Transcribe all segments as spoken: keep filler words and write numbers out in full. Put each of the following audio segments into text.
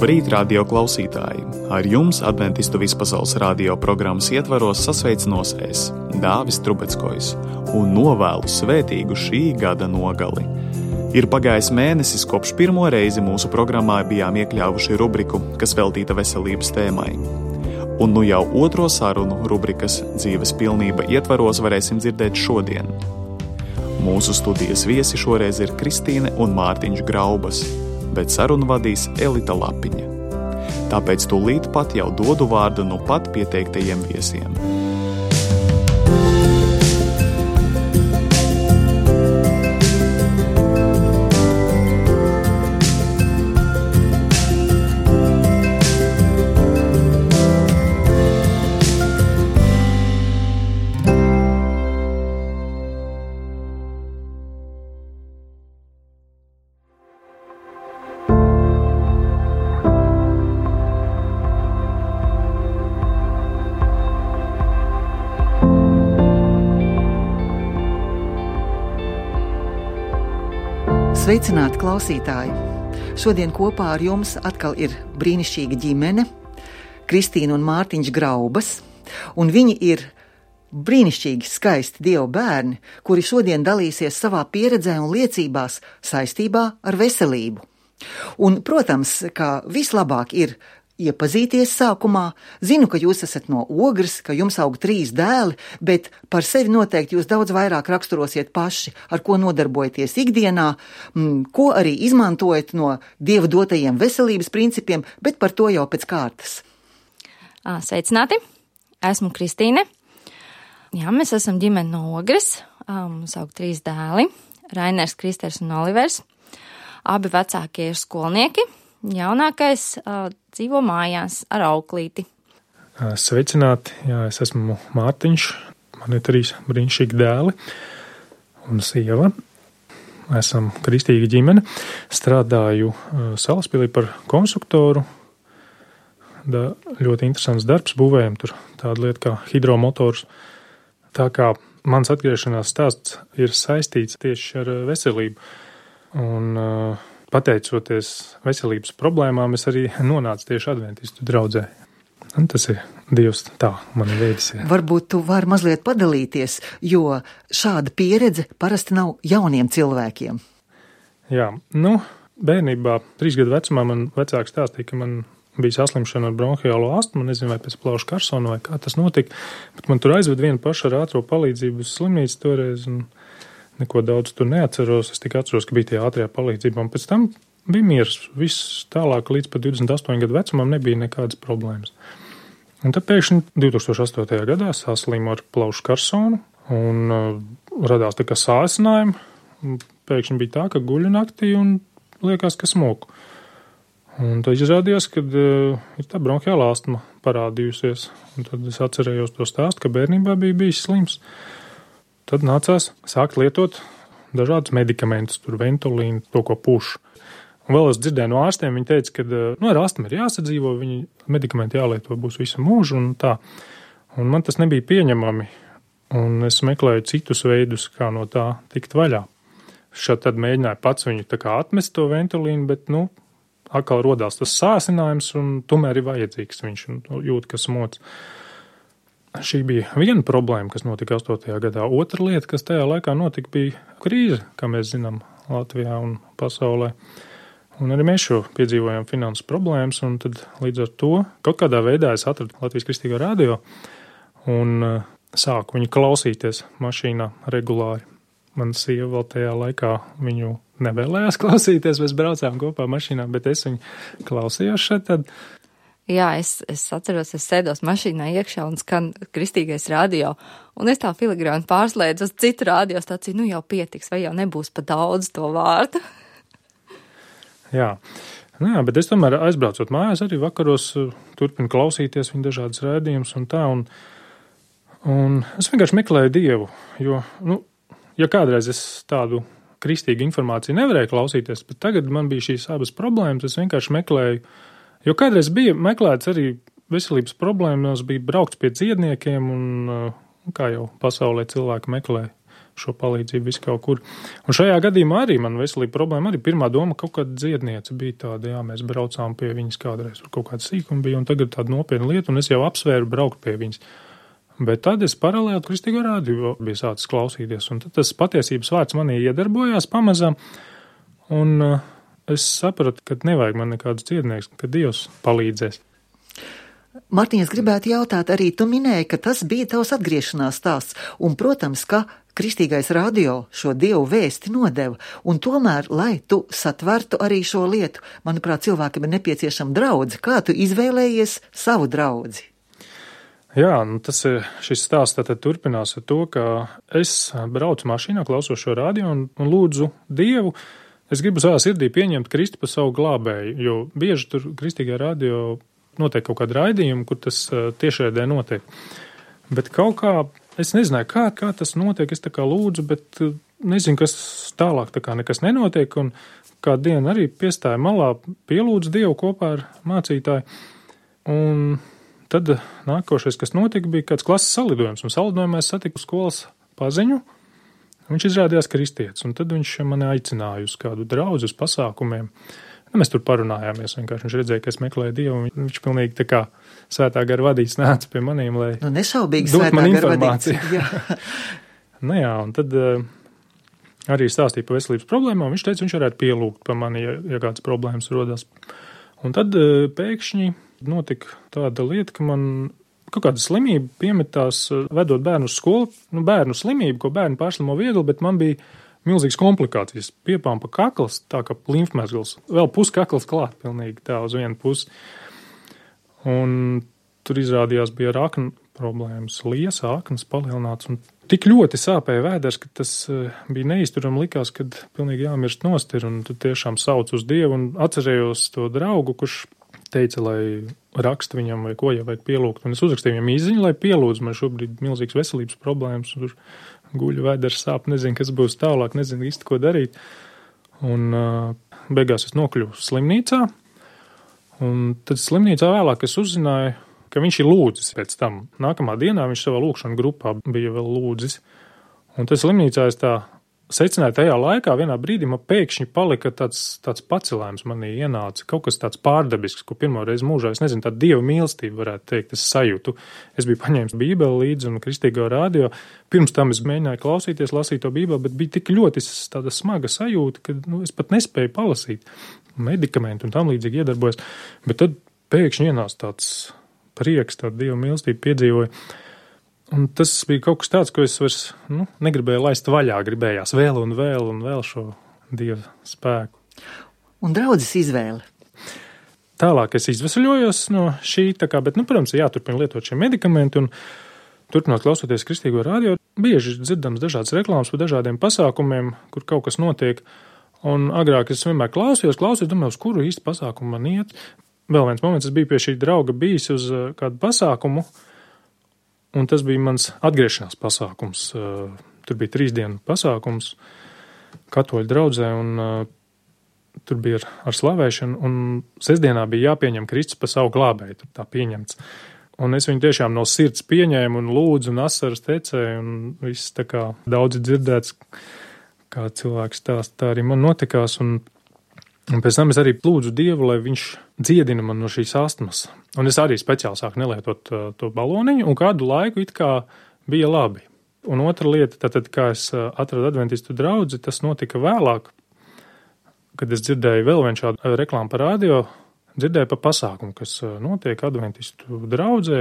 Labrīt, radio klausītāji! Ar jums Adventistu vispasaules radio programmas ietvaros sasveicinos es, Dāvis Trubeckojs, un novēlu svētīgu šī gada nogali. Ir pagājis mēnesis, kopš pirmo reizi mūsu programmā bijām iekļāvuši rubriku, kas veltīta veselības tēmai. Un nu jau otro sarunu rubrikas dzīves pilnība ietvaros varēsim dzirdēt šodien. Mūsu studijas viesi šoreiz ir Kristīne un Mārtiņš Graubas, bet sarunu vadīs Elita Lapiņa. Tāpēc tūlīt pat jau dodu vārdu nu pat pieteiktajiem viesiem. Sveicināti klausītāji! Šodien kopā ar jums atkal ir brīnišķīga ģimene, Kristīna un Mārtiņš Graubas, un viņi ir brīnišķīgi skaisti Dieva bērni, kuri šodien dalīsies savā pieredzē un liecībās saistībā ar veselību. Un, protams, kā vislabāk ir iepazīties sākumā, zinu, ka jūs esat no Ogres, ka jums aug trīs dēli, bet par sevi noteikti jūs daudz vairāk raksturosiet paši, ar ko nodarbojaties ikdienā, ko arī izmantojat no Dieva dotajiem veselības principiem, bet par to jau pēc kārtas. Sveicināti! Esmu Kristīne. Jā, mēs esam ģimene no Ogres, mums aug trīs dēli, Rainers, Kristers un Olivers. Abi vecākie ir skolnieki. Jaunākais uh, dzīvo mājās ar auklīti. Sveicināti, jā, es esmu Mārtiņš, man ir trīs brīnišķīgi dēli un sieva. Esam kristīga ģimene, strādāju uh, Salaspilī par konstruktoru. Da, ļoti interesants darbs, būvējam tur tādu lietu kā hidromotors. Tā kā mans atgriešanās stāsts ir saistīts tieši ar veselību. Un uh, pateicoties veselības problēmām, es arī nonācu tieši adventistu draudzē. Un tas ir Dievs tā mani veidis. Varbūt tu vari mazliet padalīties, jo šāda pieredze parasti nav jauniem cilvēkiem. Jā, nu, bērnībā, trīs gadu vecumā man vecāki stāstīja, ka man bija saslimšana ar bronhiālo astmu, nezinu, vai pēc plaušu karsona vai kā tas notika, bet man tur aizved vienu pašu ar ātro palīdzību uz slimnīcu toreiz, un neko daudz tur neatceros, es tikai atceros, ka bija tie ātrajā palīdzībā, un pēc tam bija miers, viss tālāk līdz pat divdesmit astoņu gadu vecumam nebija nekādas problēmas. Un tad pēkšņi divtūkstoš astotajā gadā saslimu ar plaušu karsonu, un uh, radās tā kā sāsinājumi, un pēkšņi bija tā, ka guļu naktī un liekas, ka smoku. Un tad izrādījās, ka uh, ir tā bronhiālā astma parādījusies, un tad es atcerējos to stāstu, ka bērnībā bija bijis slims. Tad nācās sākt lietot dažādus medikamentus, tur ventolīnu, to, ko pušu. Un vēl es dzirdēju no ārstiem, viņi teica, ka nu, ar astmu ir jāsadzīvo, viņi medikamenti jālieto būs visu mūžu un tā. Un man tas nebija pieņemami, un es meklēju citus veidus, kā no tā tikt vaļā. Šad tad mēģināju pats viņu tā kā atmest to ventolīnu, bet, nu, atkal rodās tas sāsinājums, un tomēr ir vajadzīgs viņš, un jūt, ka smoc. Šī bija viena problēma, kas notika astotajā gadā. Otra lieta, kas tajā laikā notika, bija krīze, kā mēs zinām, Latvijā un pasaulē. Un arī mēs šo piedzīvojām finanses problēmas, un tad līdz ar to kaut kādā veidā es atradu Latvijas Kristīgo radio un uh, sāku viņu klausīties mašīnā regulāri. Man sieva vēl tajā laikā viņu nevēlējās klausīties, mēs braucām kopā mašīnā, bet es viņu klausījos šeit tad. Jā, es, es atceros, es sēdos mašīnā iekšā un skan kristīgais radio, un es tā filigrāni pārslēdzu uz citu radiostaciju, nu jau pietiks, vai jau nebūs pa daudz to vārdu. Jā, nu jā, bet es tomēr aizbraucot mājās arī vakaros turpinu klausīties viņa dažādas raidījumus un tā, un, un es vienkārši meklēju Dievu, jo, nu, ja kādreiz es tādu kristīgu informāciju nevarēju klausīties, bet tagad man bija šīs abas problēmas, es vienkārši meklēju. Jo kādreiz bija meklēts arī veselības problēmas, bija braukts pie dziedniekiem un, kā jau pasaulē cilvēki meklē šo palīdzību visu kaut kur. Un šajā gadījumā arī man veselība problēma arī pirmā doma kaut kāda dziedniece bija tāda, jā, mēs braucām pie viņas kādreiz, kaut kāda sīkuma bija, un tagad tāda nopietna lieta, un es jau apsvēru braukt pie viņas. Bet tad es paralēli Kristīgo rādio bija sācis klausīties, un tad tas patiesības vārds manī iedarbojās pamazām, un uh, es sapratu, ka nevajag man nekādus dziednieks, ka Dievs palīdzēs. Mārtiņ, es gribētu jautāt, arī tu minēji, ka tas bija tavs atgriešanās stāsts, un, protams, ka Kristīgais radio šo Dievu vēsti nodeva, un tomēr, lai tu satvertu arī šo lietu, manuprāt, cilvēkam ir nepieciešama draudze. Kā tu izvēlējies savu draudzi? Jā, nu tas ir, šis stāsts tātad turpinās ar to, ka es braucu mašīnā, klausos šo radio un, un lūdzu Dievu. Es gribu savā sirdī pieņemt Kristu par savu glābēju, jo bieži tur Kristīgajā radio notiek kaut kāda raidījuma, kur tas tiešraidē notiek. Bet kaut kā, es nezināju, kā, kā tas notiek, es tā kā lūdzu, bet nezinu, kas tālāk tā kā nekas nenotiek, un kādu dienu arī piestāja malā, pielūdzu Dievu kopā ar mācītāju, un tad nākošais, kas notika, bija kāds klases salidojums, un salidojumā es satiku skolas paziņu, viņš izrādījās kristietis, un tad viņš mani aicināja uz kādu draudzi, uz pasākumiem. Nu, mēs tur parunājāmies, vienkārši viņš redzēja, ka es meklēju Dievu, un viņš pilnīgi tā kā svētā gara vadīts nāca pie manīm, lai nu, nešaubīgi dot svētā man gara informāciju. vadīts. Jā. Nu jā, un tad uh, arī stāstīja par veselības problēmām, viņš teica, viņš varētu pielūgt pa mani, ja, ja kāds problēmas rodas. Un tad uh, pēkšņi notika tāda lieta, ka man kaut kāda slimība piemetās, uh, vedot bērnu uz skolu, nu bērnu slimību, ko bērnu pārslimo viegli, bet man bija milzīgas komplikācijas. Piepāmpa kakls, tā kā limfmezgls, vēl puskakls klāt pilnīgi tā uz vienu pusi. Un tur izrādījās bija rakna problēmas, liesa, aknas palielināts, un tik ļoti sāpēja vēders, ka tas bija neizturami, likās, kad pilnīgi jāmirst nost ir, un tu tiešām sauc uz Dievu, un atcerējos to draugu, kurš teica, lai raksta viņam vai ko, ja vajag pielūgt, un es uzrakstīju viņam izziņu, lai pielūdz, man šobrīd milzīgas veselības problēmas, un tur guļu vēders sāp, nezinu, kas būs tālāk, nezinu īsti, ko darīt. Un uh, beigās es nokļuvu slimnīcā, un tad slimnīcā vēlāk es uzzināju, ka viņš ir lūdzis pēc tam. Nākamā dienā viņš savā lūkšana grupā bija vēl lūdzis. Un tad slimnīcā es tā secināju tajā laikā, vienā brīdī man pēkšņi palika tāds, tāds pacelājums manī ienāca, kaut kas tāds pārdabisks, ko pirmo reizi mūžā, es nezinu, tāda Dieva mīlestība varētu teikt, es sajūtu. Es biju paņēmis Bībeli līdzi un Kristīgo radio. Pirms tam es mēģināju klausīties, lasīt to Bībeli, bet bija tik ļoti tāda smaga sajūta, ka nu, es pat nespēju palasīt. Medikamenti un tam līdzīgi iedarbojas. Bet tad pēkšņi ienāca tāds prieks, tāda Dieva mīlestība piedzīvoja. Un tas bija kaut kas tāds, ko es vairs nu, negribēju laist vaļā, gribējās vēl un vēl un vēl šo Dieva spēku. Un draudzes izvēle? Tālāk es izvesaļojos no šī, tā kā, bet, nu, protams, jāturpina lietot šie medikamenti un turpinot klausoties Kristīgo radio, bieži dzirdams dažādas reklāmas par dažādiem pasākumiem, kur kaut kas notiek, un agrāk es vienmēr klausījos, klausījos, domāju, uz kuru īsti pasākumu man iet. Vēl viens moments, es biju pie šī drauga bijis uz kādu pasākumu, un tas bija mans atgriešanās pasākums. Tur bija trīs dienu pasākums katoļu draudzē, un uh, tur bija ar, ar slavēšanu, un sestdienā bija jāpieņem Kristus par savu glābēju, tur tā pieņemts. Un es viņu tiešām no sirds pieņēmu un lūdzu un asaras tecēju, un viss tā kā daudzi dzirdēts, kā cilvēks stāst, tā arī man notikās, un, un pēc tam es arī lūdzu Dievu, lai viņš dziedina man no šīs astmas. Un es arī speciāli sāku nelietot uh, to baloniņu, un kādu laiku it kā bija labi. Un otra lieta, tātad, kā es uh, atradu adventistu draudzi, tas notika vēlāk, kad es dzirdēju vēl vienu šādu reklāmu par radio, dzirdēju par pasākumu, kas uh, notiek adventistu draudzē.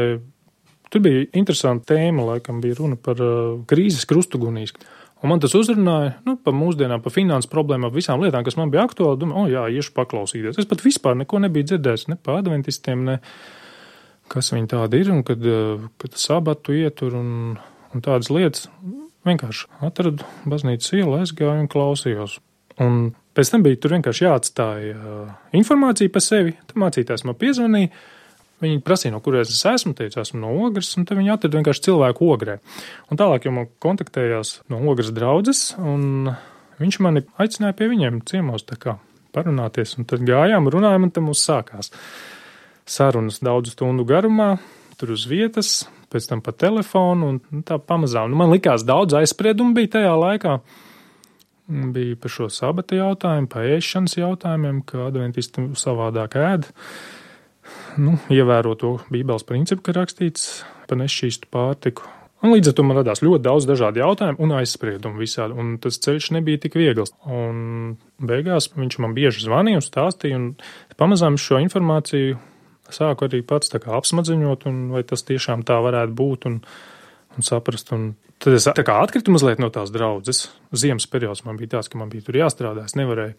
Tur bija interesanta tēma, laikam bija runa par uh, krīzes krustugunīs. Un man tas uzrunāja, nu, par mūsdienām, par finanses problēmām, visām lietām, kas man bija aktuāli. Domāju, o jā, iešu paklausīties. Es pat vispār neko nebiju dzirdējis, ne par adventistiem, ne kas viņi tādi ir, un kad, kad sabatu ietur un, un tādas lietas. Vienkārši atradu baznīcas ielu, aizgāju un klausījos. Un pēc tam bija tur vienkārši jāatstāja informācija par sevi. Tad mācītājs man piezvanīja. Viņi prasīja, no kurienes es esmu, teicu, esmu no Ogres, un tad viņi atrada vienkārši cilvēku Ogrē. Un tālāk jau man kontaktējās no Ogres draudzes, un viņš mani aicināja pie viņiem ciemos tā kā parunāties, un tad gājām, runājām, un tad mums sākās sarunas daudzu stundu garumā, tur uz vietas, pēc tam pa telefonu, un tā pamazām. Nu, man likās daudz aizspriedumu bija tajā laikā. Bija par šo sabata jautājumu, pa ēšanas jautājumiem, ka adventisti savādāk ēd. Nu, ievēro to Bībeles principu, ka rakstīts par nešķīstu pārtiku. Un līdz ar to man radās ļoti daudz dažādu jautājumu un aizspriedumu visādi, un tas ceļš nebija tik viegls. Un beigās viņš man bieži zvanīja un stāstīja, un pamazām šo informāciju sāku arī pats tā kā apsmadziņot, un vai tas tiešām tā varētu būt, un, un saprast. Un tad es tā kā atkritu mazliet no tās draudzes. Ziemas periods man bija tāds, ka man bija tur jāstrādā, es nevarēju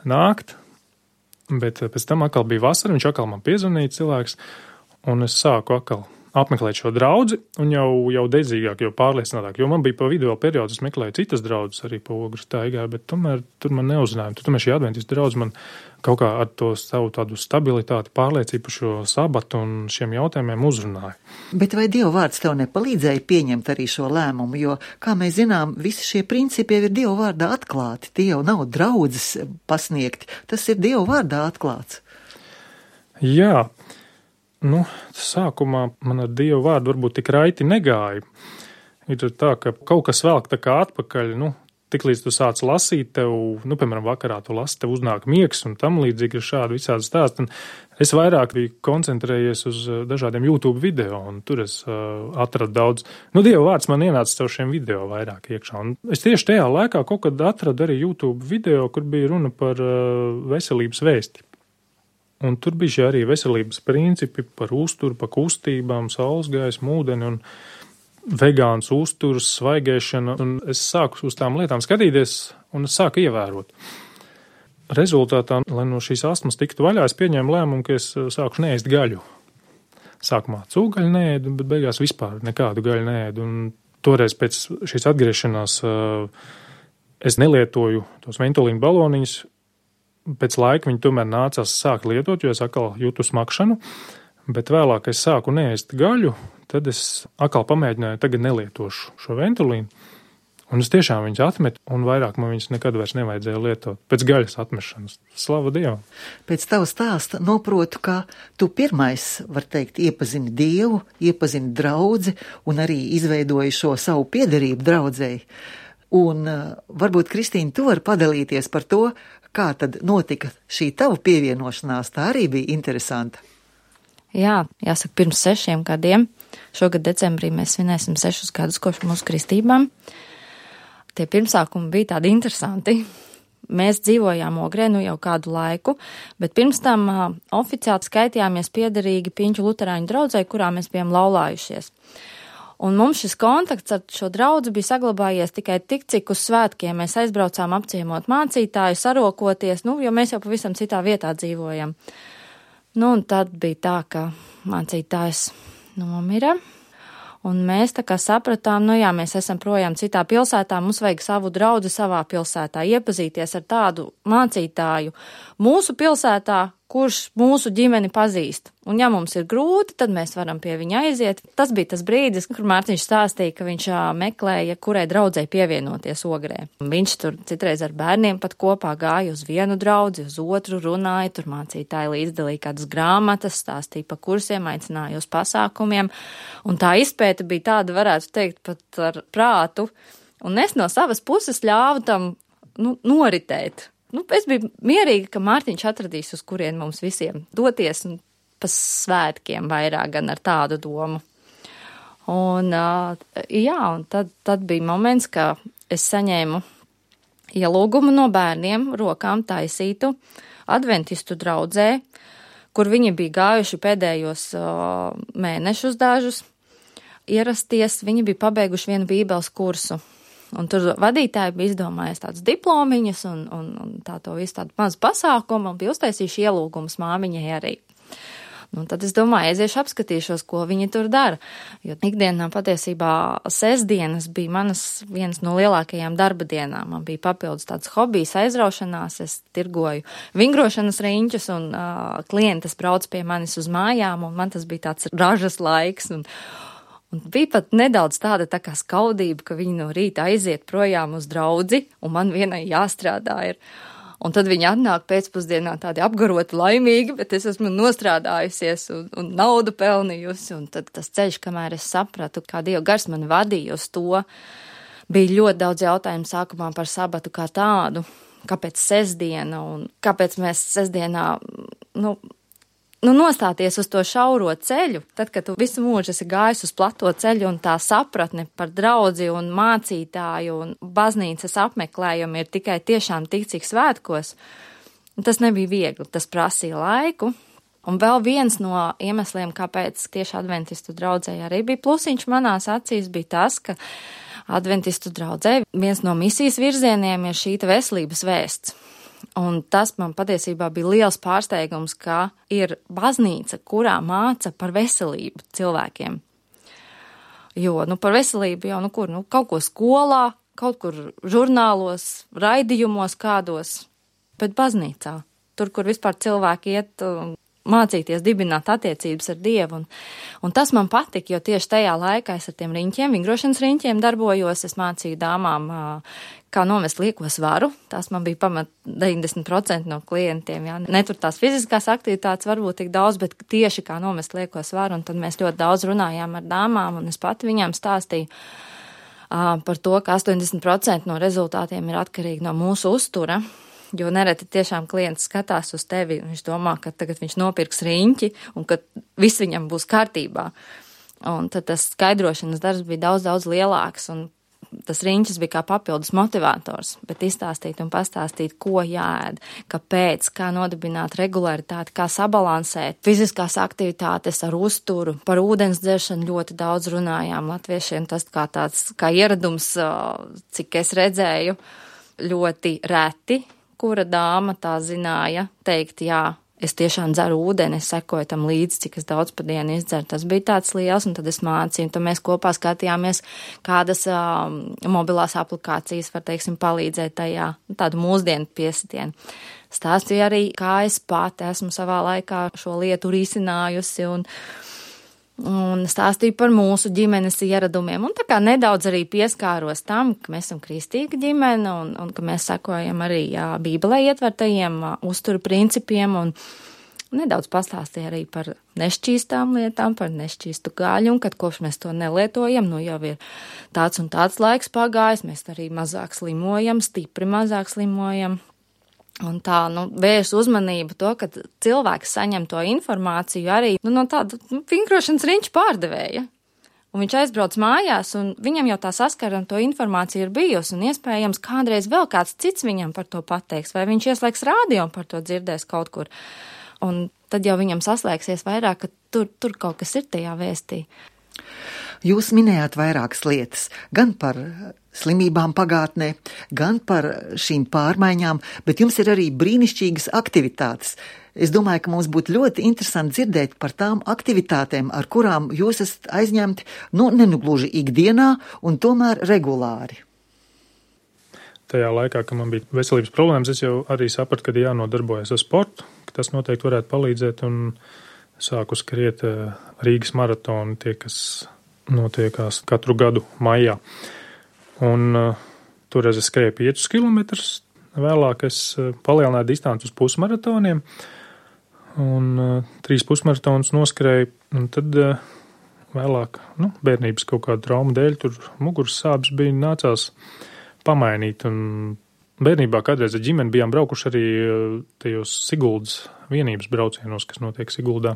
nākt, bet pēc tam atkal bija vasara, viņš atkal man piezvanīja cilvēks, un es sāku atkal apmeklēt šo draudzi, un jau, jau dedzīgāk, jau pārliecinātāk, jo man bija pa video periodu, es meklēju citas draudzes arī pa Ogres taigā, bet tomēr tur man neuzzinājumi. Tur tomēr šī adventistu draudze man kaut kā ar to savu tādu stabilitāti, pārliecību par šo sabatu un šiem jautājumiem uzrunāja. Bet vai Dieva vārds tev nepalīdzēja pieņemt arī šo lēmumu, jo, kā mēs zinām, visi šie principi jau ir Dieva vārdā atklāti, tie jau nav draudzes pasniegti, tas ir Dieva vārdā atklāts. Jā. Nu, sākumā man ar Dievu vārdu varbūt tik raiti negāja. Ir tā, ka kaut kas velk tā kā atpakaļ, nu, tik līdz tu sāc lasīt, tev, nu, piemēram, vakarā tu lasi, tev uznāk miegs un tam līdzīgi ir šādi visādi stāsti. Un es vairāk biju koncentrējies uz dažādiem YouTube video, un tur es uh, atradu daudz. Nu, Dieva vārds man ienāca caur šiem video vairāk iekšā. Un es tieši tajā laikā kaut kad atradu arī YouTube video, kur bija runa par uh, veselības vēsti. Un tur bija šie arī veselības principi par uzturu, par kustībām, saules gaismu, ūdeni un vegāns uzturs, svaigēšana. Un es sāku uz tām lietām skatīties un es sāku ievērot. Rezultātā, lai no šīs astmas tiktu vaļā, es pieņēmu lēmumu, ka es sāku neēst gaļu. Sākumā cūgaļu neēdu, bet beigās vispār nekādu gaļu neēdu. Un toreiz pēc šīs atgriešanās es nelietoju tos ventolīnu baloniņus. Pēc laika viņi tomēr nācās sākt lietot, jo es atkal jūtu smakšanu, bet vēlāk es sāku neēst gaļu, tad es atkal pamēģināju, tagad nelietošu šo ventolīnu, un es tiešām viņus atmetu, un vairāk man viņus nekad vairs nevajadzēja lietot pēc gaļas atmešanas. Slava Dievam! Pēc tava stāsta noprotu, ka tu pirmais, var teikt, iepazini Dievu, iepazini draudzi un arī izveidoji šo savu piederību draudzei. Un varbūt, Kristīna, tu vari padalīties par to, kā tad notika šī tava pievienošanās, tā arī bija interesanta. Jā, jāsaka, pirms sešiem gadiem. Šogad decembrī mēs svinēsim sešus gadus kopš mūsu kristībām. Tie pirmsākumi bija tādi interesanti. Mēs dzīvojām Ogrē nu jau kādu laiku, bet pirms tam uh, oficiāli skaitījāmies piederīgi Piņķu luterāņu draudzei, kurā mēs bijām laulājušies. Un mums šis kontakts ar šo draudzi bija saglabājies tikai tik, cik uz svētkiem mēs aizbraucām apciemot mācītāju, sarokoties, nu, jo mēs jau pavisam citā vietā dzīvojam. Nu, un tad bija tā, ka mācītājs nomira, un mēs tā kā sapratām, nu jā, mēs esam projām citā pilsētā, mums vajag savu draudzi savā pilsētā, iepazīties ar tādu mācītāju mūsu pilsētā, kurš mūsu ģimeni pazīst. Un ja mums ir grūti, tad mēs varam pie viņa aiziet. Tas bija tas brīdis, kur Mārtiņš stāstīja, ka viņš meklēja, kurai draudzei pievienoties Ogrē. Viņš tur citreiz ar bērniem pat kopā gāja uz vienu draudzi, uz otru runāja, tur mācītāji līdzdalīja kādas grāmatas, stāstīja pa kursiem, aicināja uz pasākumiem. Un tā izpēta bija tāda, varētu teikt, pat ar prātu. Un es no savas puses ļāvu tam, nu, noritēt. Nu, es biju mierīga, ka Mārtiņš atradīs, uz kurien mums visiem doties un pa svētkiem vairāk gan ar tādu domu. Un, jā, un tad, tad bija moments, ka es saņēmu ielūgumu no bērniem rokām taisītu adventistu draudzē, kur viņi bija gājuši pēdējos mēnešus dažus ierasties. Viņi bija pabeiguši vienu bībeles kursu. Un tur vadītāji bija izdomājies tādas diplomiņas un, un, un tā to visu tādu mazu pasākumu un bija uztaisījuši ielūgumus māmiņai arī. Nu, tad es domāju, aiziešu apskatīšos, ko viņi tur dara. Jo ikdienā patiesībā sestdienas bija manas vienas no lielākajām darba dienām. Man bija papildus tāds hobijs aizraušanās, es tirgoju vingrošanas riņķus un uh, klientas brauc pie manis uz mājām un man tas bija tāds ražas laiks un Un bija pat nedaudz tāda tā kā skaudība, ka viņi no rīta aiziet projām uz draudzi, un man vienai jāstrādā ir. Un tad viņi atnāk pēcpusdienā tādi apgaroti laimīgi, bet es esmu nostrādājusies un, un naudu pelnījusi. Un tad tas ceļš, kamēr es sapratu, kā Dieva gars man vadīja uz to, bija ļoti daudz jautājumu sākumā par sabatu kā tādu, kāpēc sestdiena un kāpēc mēs sestdienā, nu, nu, nostāties uz to šauro ceļu, tad, kad tu visu mūžu esi gājis uz plato ceļu un tā sapratne par draudzi un mācītāju un baznīcas apmeklējumu ir tikai tiešām tik, cik svētkos, tas nebija viegli, tas prasīja laiku. Un vēl viens no iemesliem, kāpēc tieši adventistu draudzē arī bija plusiņš manās acīs, bija tas, ka adventistu draudzē viens no misijas virzieniem ir šī veselības vēsts. Un tas man patiesībā bija liels pārsteigums, ka ir baznīca, kurā māca par veselību cilvēkiem. Jo, nu, par veselību jau, nu, kur, nu, kaut ko skolā, kaut kur žurnālos, raidījumos kādos, bet baznīcā, tur, kur vispār cilvēki iet mācīties dibināt attiecības ar Dievu. Un, un tas man patika, jo tieši tajā laikā es ar tiem riņķiem, vingrošanas riņķiem darbojos, es mācīju dāmām, kā novest lieko svaru. Tās man bija pamat deviņdesmit procenti no klientiem. Jā. Ne tur tās fiziskās aktivitātes varbūt tik daudz, bet tieši kā novest lieko svaru. Un tad mēs ļoti daudz runājām ar dāmām, un es pati viņām stāstīju uh, par to, ka astoņdesmit procenti no rezultātiem ir atkarīgi no mūsu uztura. Jo nereti tiešām klients skatās uz tevi, un viņš domā, ka tagad viņš nopirks riņķi, un ka viss viņam būs kārtībā. Un tad tas skaidrošanas darbs bija daudz, daudz lielāks, un tas riņķis bija kā papildus motivators, bet izstāstīt un pastāstīt, ko jāēd, kāpēc, kā nodibināt regularitāti, kā sabalansēt fiziskās aktivitātes ar uzturu, par ūdens dzeršanu ļoti daudz runājām latviešiem, tas kā tāds, kā ieradums, cik es redzēju, ļoti reti, kura dāma tā zināja teikt, jā, es tiešām dzeru ūdeni, es sekoju tam līdzi, cik es daudz pa dienu izdzeru. Tas bija tāds liels, un tad es mācīju, un tad mēs kopā skatījāmies, kādas uh, mobilās aplikācijas var, teiksim, palīdzēt tajā, tādu mūsdienu piesitienu. Stāstīju arī, kā es pati esmu savā laikā šo lietu risinājusi, un un stāstīju par mūsu ģimenes ieradumiem, un tā kā nedaudz arī pieskāros tam, ka mēs esam kristīga ģimene, un, un ka mēs sekojam arī jā, Bībelē ietvertajiem uzturu principiem, un nedaudz pastāstīju arī par nešķīstām lietām, par nešķīstu gaļu, un kad kopš mēs to nelietojam, nu jau ir tāds un tāds laiks pagājis, mēs arī mazāk slimojam, stipri mazāk slimojam. Un tā, nu, vērš uzmanību to, ka cilvēks saņem to informāciju arī, nu, no tāda nu, vingrošanas riņķa pārdevēja. Un viņš aizbrauc mājās, un viņam jau tā saskara un to informācija ir bijusi, un iespējams kādreiz vēl kāds cits viņam par to pateiks, vai viņš ieslēgs rādio un par to dzirdēs kaut kur. Un tad jau viņam saslēgsies vairāk, ka tur, tur kaut kas ir tajā vēstī. Jūs minējāt vairākas lietas, gan par slimībām pagātnē, gan par šīm pārmaiņām, bet jums ir arī brīnišķīgas aktivitātes. Es domāju, ka mums būtu ļoti interesanti dzirdēt par tām aktivitātēm, ar kurām jūs esat aizņemti, nu, nenugluži ikdienā un tomēr regulāri. Tajā laikā, kad man bija veselības problēmas, es jau arī sapratu, ka jānodarbojas ar sportu, ka tas noteikti varētu palīdzēt, un sāku skriet Rīgas maratonu, tie, kas notiekās katru gadu maijā. Un uh, toreiz es skrēju piecus kilometrus, vēlāk es uh, palielināju distanci uz pusmaratoniem, un uh, trīs pusmaratonus noskrēju, un tad uh, vēlāk, nu, bērnības kaut kāda trauma dēļ, tur muguras sāpes bija nācās pamainīt, un bērnībā kādreiz ar ģimeni bijām braukuši arī uh, tajos Siguldas vienības braucienos, kas notiek Siguldā.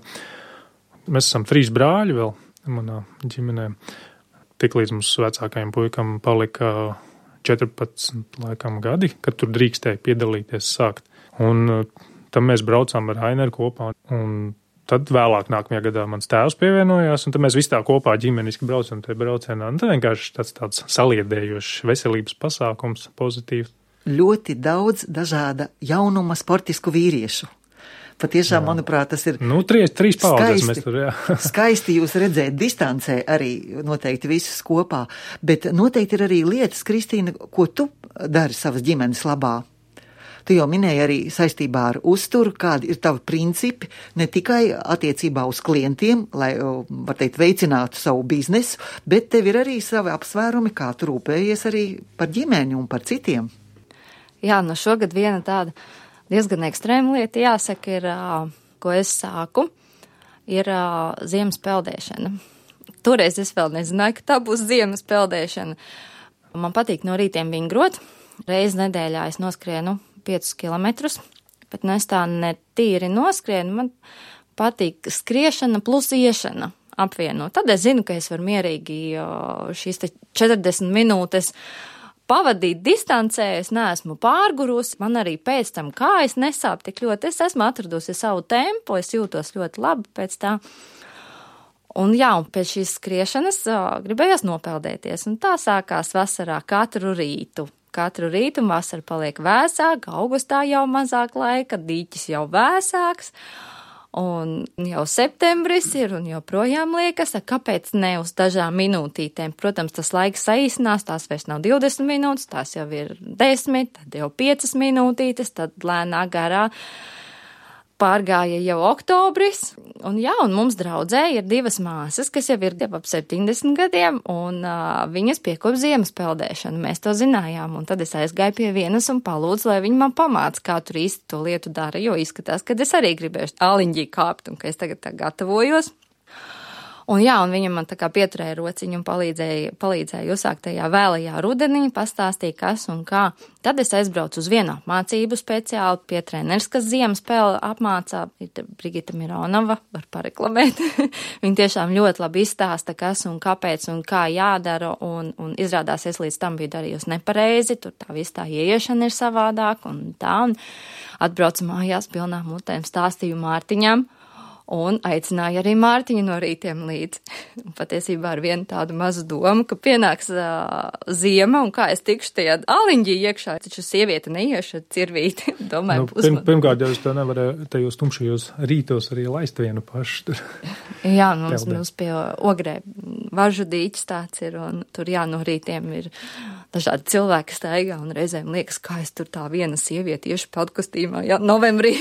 Mēs esam trīs brāļi vēl manā ģimenē. Tik līdz mums vecākajam puikam palika četrpadsmit laikam gadi, kad tur drīkstēja piedalīties sākt. Un tam mēs braucām ar Aineru kopā. Un tad vēlāk nākamajā gadā mans tēvs pievienojās, un tad mēs visi tā kopā ģimeniski braucam tajā braucienā. Un tad vienkārši tāds tāds saliedējošs veselības pasākums, pozitīvs. Ļoti daudz dažāda jaunuma sportisku vīriešu. Patiešām, jā. Manuprāt, tas ir nu, trīs, trīs paudzes mēs tur, jā. Skaisti jūs redzēt distancē arī noteikti visus kopā, bet noteikti ir arī lietas, Kristīna, ko tu dari savas ģimenes labā. Tu jau minēji arī saistībā ar uzturu, kādi ir tavi principi, ne tikai attiecībā uz klientiem, lai, var teikt, veicinātu savu biznesu, bet tev ir arī savi apsvērumi, kā tu rūpējies arī par ģimeni un par citiem. Jā, nu šogad viena tāda diezgan ekstrēma lieta, jāsaka, ir, ko es sāku, ir ziemas peldēšana. Toreiz es vēl nezināju, ka tā būs ziemas peldēšana. Man patīk no rītiem vingrot. Reizi nedēļā es noskrienu piecus kilometrus, bet nu es tā ne tīri noskrienu. Man patīk skriešana plus iešana apvienot. Tad es zinu, ka es varu mierīgi šīs četrdesmit minūtes pavadīt distancē, es neesmu pārgurusi, man arī pēc tam kājas nesāp tik ļoti. Es esmu atradusi savu tempu, es jūtos ļoti labi pēc tā. Un jā, un pēc šīs skriešanas gribējās nopeldēties. Un tā sākās vasarā katru rītu. Katru rītu vasara paliek vēsāka, augustā jau mazāk laika, dīķis jau vēsāks. Un jau septembris ir un joprojām liekas, kāpēc ne uz dažām minūtītēm. Protams, tas laiks saīsinās, tās vairs nav divdesmit minūtes, tās jau ir desmit, tad jau piecas minūtītes, tad lēnā garā pārgāja jau oktobris. Un jā, un mums draudzē ir divas māsas, kas jau ir ap septiņdesmit gadiem, un uh, viņas piekop ziemas peldēšanu. Mēs to zinājām, un tad es aizgāju pie vienas un palūdzu, lai viņa man pamāca, kā tur īsti to lietu dara, jo izskatās, ka es arī gribēšu āliņģī kāpt, un ka es tagad tā gatavojos. Un jā, un viņa man tā kā pieturēja rociņu un palīdzēja, palīdzēja uzsākt tajā vēlajā rudenī, pastāstīja, kas un kā. Tad es aizbraucu uz vienu apmācību speciāli pie treneris, kas ziemas spēli apmācā. Brigita Mironova, var pareklamēt. Viņa tiešām ļoti labi izstāsta, kas un kāpēc un kā jādara, un, un izrādās, es līdz tam biju darījusi nepareizi, tur tā viss tā ieiešana ir savādāk un tā. Un atbraucu mājās pilnām mutēm, stāstīju Mārtiņam. Un aicināja arī Mārtiņu no rītiem līdz. Patiesībā ar vienu tādu mazu domu, ka pienāks uh, ziema un kā es tikšu tajā āliņģī iekšā. Taču sieviete neiešu ar cirvīti. Domāju, nu, pirm, pirmkārt, jau es to nevaru tajos tumšajos rītos arī laist vienu pašu tur. Jā, mums, mums pie Ogrē važu dīķis tāds ir, un tur jā, no rītiem ir dažādi cilvēki staigā, un reizēm liekas, kā es tur tā viena sieviete iešu peldkostīmā, jā, novembrī.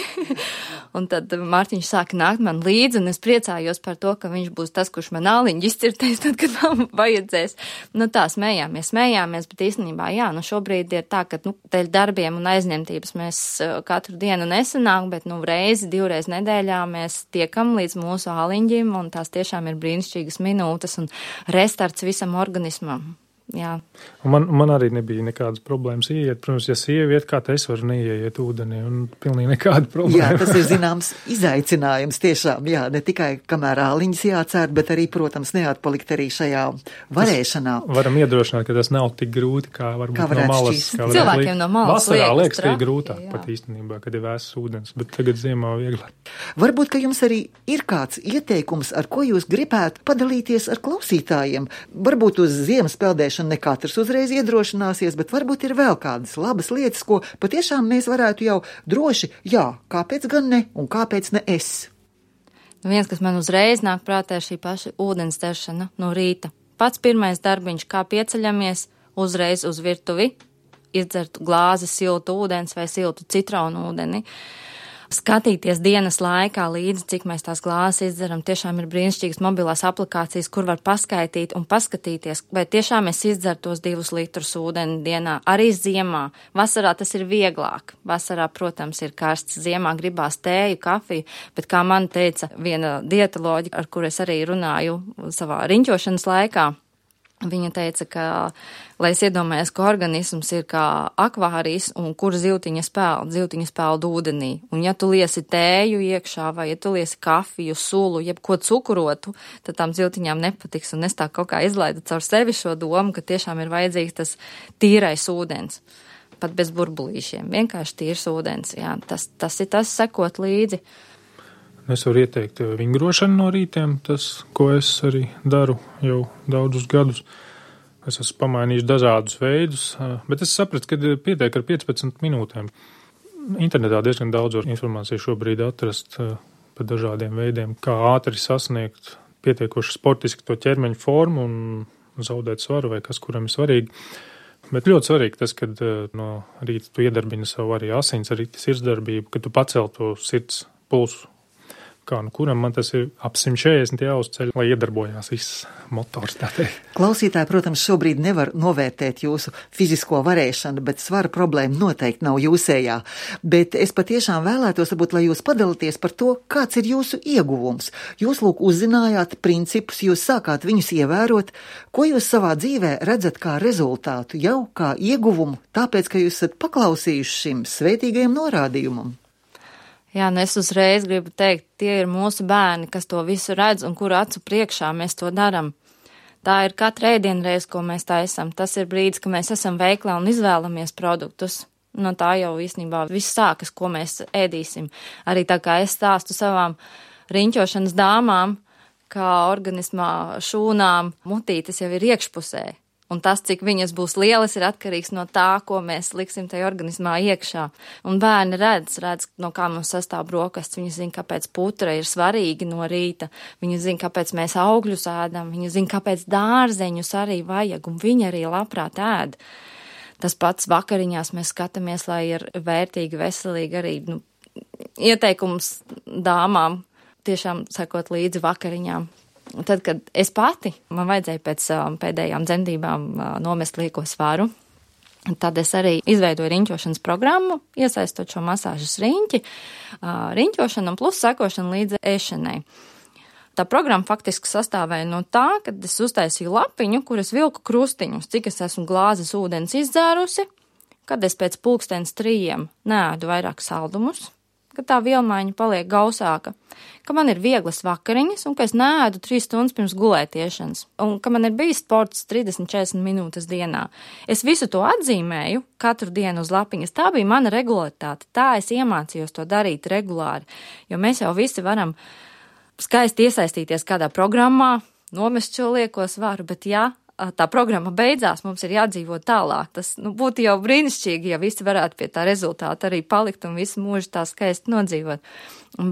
Un tad Mārtiņš sāka nākt man līdzi, un es priecājos par to, ka viņš būs tas, kurš man āliņģi izcirtēs, tad, kad man vajadzēs. Nu tā, smējāmies, smējāmies, bet īstenībā, jā, nu šobrīd ir tā, ka, nu, dēļ darbiem un aizņemtības mēs katru dienu nesanāk, bet, nu, reizi, divreiz nedēļā mēs tiekam līdz mūsu āliņģim, un tās tiešām ir brīnišķīgas minūtes un restarts visam organismam. Jā. Man, man arī nebija nekādas problēmas ieiet. Protams, ja sieviet, kā te es varu neieiet ūdenī, un pilnīgi nekāda problēma. Jā, tas ir zināms izaicinājums tiešām, jā, ne tikai kamēr āliņas jācērt, bet arī, protams, neatpalikt arī šajā varēšanā. Tas varam iedrošināt, ka tas nav tik grūti, kā varbūt kā no malas. Kā cilvēkiem no malas vasarā liekas, liekas, ka ir grūtāk jā. Pat īstenībā, kad ir vēsas ūdens, bet tagad ziemā vieglāk. Varbūt, ka jums arī ir kāds ieteikums, ar ko jūs gribētu padalīties ar klausītājiem. Varbūt uz ziemas peldēšanu ne katrs uzreiz iedrošināsies, bet varbūt ir vēl kādas labas lietas, ko patiešām mēs varētu jau droši, jā, kāpēc gan ne un kāpēc ne es. Viens, kas man uzreiz nāk prātā, ir šī paša ūdens dzeršana no rīta. Pats pirmais darbiņš, kā pieceļamies, uzreiz uz virtuvi, izdzert glāzi siltu ūdens vai siltu citronu ūdeni. Skatīties dienas laikā līdzi, cik mēs tās glāzes izdzeram, tiešām ir brīnišķīgas mobilās aplikācijas, kur var paskaitīt un paskatīties, vai tiešām es izdzeru tos divus litrus ūdeni dienā, arī ziemā. Vasarā tas ir vieglāk. Vasarā, protams, ir karsts, ziemā gribās tēju, kafiju, bet kā man teica viena dietoloģa, ar kur es arī runāju savā riņķošanas laikā, viņa teica, ka, lai es iedomājos, ka organisms ir kā akvārijas un kur zivtiņa spēld, zivtiņa spēld ūdenī. Un ja tu liesi tēju iekšā vai ja tu liesi kafiju, sulu, jebko cukurotu, tad tām zivtiņām nepatiks. Un es tā kaut kā izlaidu caur sevi šo domu, ka tiešām ir vajadzīgs tas tīrais ūdens. Pat bez burbulīšiem. Vienkārši tīrs ūdens. Jā, tas, tas ir tas sekot līdzi. Es varu ieteikt vingrošanu no rītiem, tas, ko es arī daru jau daudzus gadus. Es esmu pamainījis dažādus veidus, bet es sapratu, ka pietiek ar piecpadsmit minūtēm. Internetā diezgan daudz informāciju šobrīd atrast par dažādiem veidiem, kā ātri sasniegt pietiekoši sportiski to ķermeņa formu un zaudēt svaru vai kas, kuram ir svarīgi. Bet ļoti svarīgi tas, kad no rīta tu iedarbini savu arī asins, arī sirdsdarbību, kad tu pacel to sirds pulsu. kā nu kuram man tas ir ap simt četrdesmit jāuzceļ, lai iedarbojās viss motors, tā teikt. Klausītāji, protams, šobrīd nevar novērtēt jūsu fizisko varēšanu, bet svara problēma noteikti nav jūsējā. Bet es patiešām vēlētos, varbūt, lai jūs padalīties par to, kāds ir jūsu ieguvums. Jūs, lūk, uzzinājāt principus, jūs sākāt viņus ievērot. Ko jūs savā dzīvē redzat kā rezultātu, jau kā ieguvumu, tāpēc, ka jūs esat paklausījuši šim svētīgajam norādījumam? Jā, nu es uzreiz gribu teikt, tie ir mūsu bērni, kas to visu redz un kuru acu priekšā mēs to daram. Tā ir katra ēdienreize, ko mēs taisam. Tas ir brīdis, ka mēs esam veiklā un izvēlamies produktus. No tā jau īstenībā viss sākas, ko mēs ēdīsim. Arī tā kā es stāstu savām riņķošanas dāmām, kā organismā šūnām mutītes jau ir iekšpusē. Un tas, cik viņas būs lielas, ir atkarīgs no tā, ko mēs liksim tajā organismā iekšā. Un bērni redz, redz, no kā mums sastāv brokastis. Viņi zina, kāpēc putra ir svarīgi no rīta. Viņi zina, kāpēc mēs augļus ēdam. Viņi zina, kāpēc dārzeņus arī vajag, un viņi arī labprāt ēd. Tas pats vakariņās mēs skatāmies, lai ir vērtīgi, veselīgi arī nu, ieteikums dāmām tiešām sekot līdzi vakariņām. Un tad, kad es pati, man vajadzēja pēc um, pēdējām dzemdībām uh, nomest lieko svaru, tad es arī izveidoju riņķošanas programmu, iesaistot šo masāžas riņķi, uh, riņķošanu un plus sekošanu līdz ēšanai. Tā programma faktiski sastāvēja no tā, kad es uztaisīju lapiņu, kur es vilku krustiņus, cik es esmu glāzes ūdens izdzērusi, kad es pēc pulkstens trījiem neēdu vairāk saldumus, ka tā vielmaiņa paliek gausāka, ka man ir vieglas vakariņas un ka es neēdu trīs stundas pirms gulētiešanas, un ka man ir bijis sports trīsdesmit līdz četrdesmit minūtes dienā. Es visu to atzīmēju katru dienu uz lapiņas. Tā bija mana regularitāte. Tā es iemācījos to darīt regulāri, jo mēs jau visi varam skaisti iesaistīties kādā programmā, nomest šo lieko svaru, bet jā, tā programma beidzās, mums ir jādzīvo tālāk. Tas nu, būtu jau brīnišķīgi, ja visi varētu pie tā rezultāta arī palikt un visu mūžu tā skaisti nodzīvot.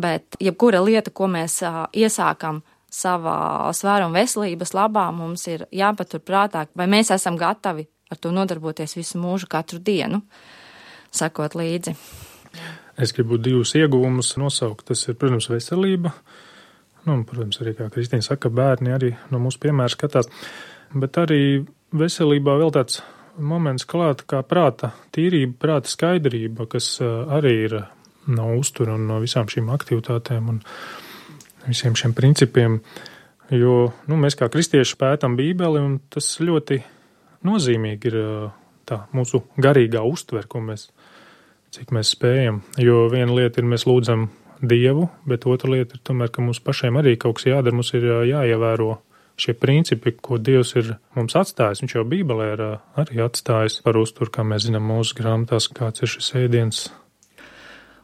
Bet jebkura lieta, ko mēs uh, iesākam savā svāra un veselības labā, mums ir jāpatur prātā, vai mēs esam gatavi ar to nodarboties visu mūžu katru dienu, sakot līdzi. Es gribu divus ieguvumus nosaukt. Tas ir, protams, veselība. Nu, protams, arī, kā Kristīna saka, bērni arī no mūsu piemēra skatās. Bet arī veselībā vēl tāds moments klāt kā prāta tīrība, prāta skaidrība, kas arī ir no uztura un no visām šīm aktivitātēm un visiem šiem principiem. Jo nu, mēs kā kristieši pētam Bībeli, un tas ļoti nozīmīgi ir tā mūsu garīgā uztver, ko mēs, cik mēs spējam. Jo viena lieta ir, mēs lūdzam Dievu, bet otra lieta ir tomēr, ka mums pašiem arī kaut kas jādara, mums ir jāievēro šie principi, ko Dievs ir mums atstājis. Viņš jau Bībelē ir arī atstājis par uzturu, kā mēs zinām mūsu grāmatās, kāds ir šis ēdiens.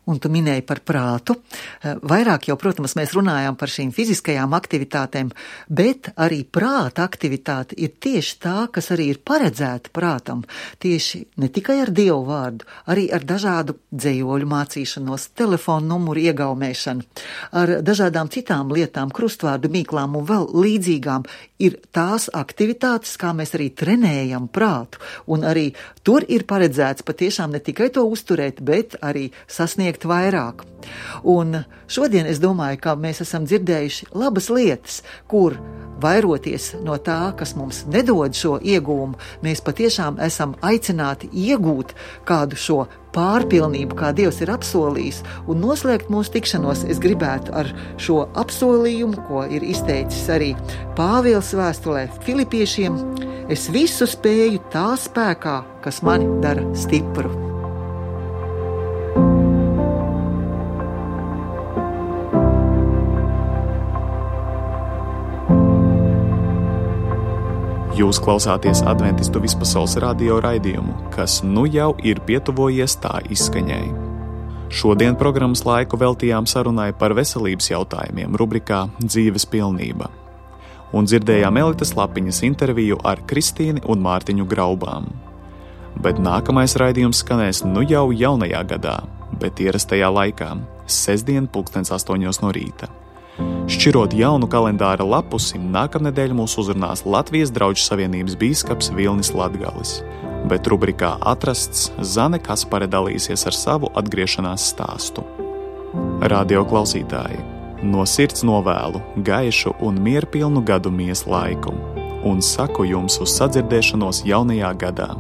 Un tu minēji par prātu. Vairāk jau, protams, mēs runājām par šīm fiziskajām aktivitātēm, bet arī prāta aktivitāte ir tieši tā, kas arī ir paredzēta prātam. Tieši ne tikai ar Dievu vārdu, arī ar dažādu dzējoļu mācīšanos, telefonu numuru iegaumēšanu, ar dažādām citām lietām, krustvārdu mīklām un vēl līdzīgām. Ir tās aktivitātes, kā mēs arī trenējam prātu, un arī tur ir paredzēts patiešām ne tikai to uzturēt, bet arī sasniegt vairāk. Un šodien es domāju, ka mēs esam dzirdējuši labas lietas, kur vairoties no tā, kas mums nedod šo ieguvumu, mēs patiešām esam aicināti iegūt kādu šo pārpilnību, kā Dievs ir apsolījis, un noslēgt mūsu tikšanos es gribētu ar šo apsolījumu, ko ir izteicis arī Pāvils vēstulē Filipiešiem: es visu spēju tā spēkā, kas mani dara stipru. Jūs klausāties Adventistu vispasaules radio raidījumu, kas nu jau ir pietuvojies tā izskaņai. Šodien programmas laiku veltījām sarunai par veselības jautājumiem rubrikā Dzīves pilnība. Un dzirdējām Elitas Lapiņas interviju ar Kristīni un Mārtiņu Graubām. Bet nākamais raidījums skanēs nu jau jaunajā gadā, bet ierastajā laikā, sestdien pulkstens astoņos no rīta. Šķirot jaunu kalendāra lapusi, nākamnedēļ mūs uzrunās Latvijas Drauģu savienības bīskaps Vilnis Latgalis, bet rubrikā Atrasts Zane Kaspare dalīsies ar savu atgriešanās stāstu. Radio klausītāji, No sirds novēlu gaišu un mierpilnu gadu mies laiku un saku jums uz sadzirdēšanos jaunajā gadā.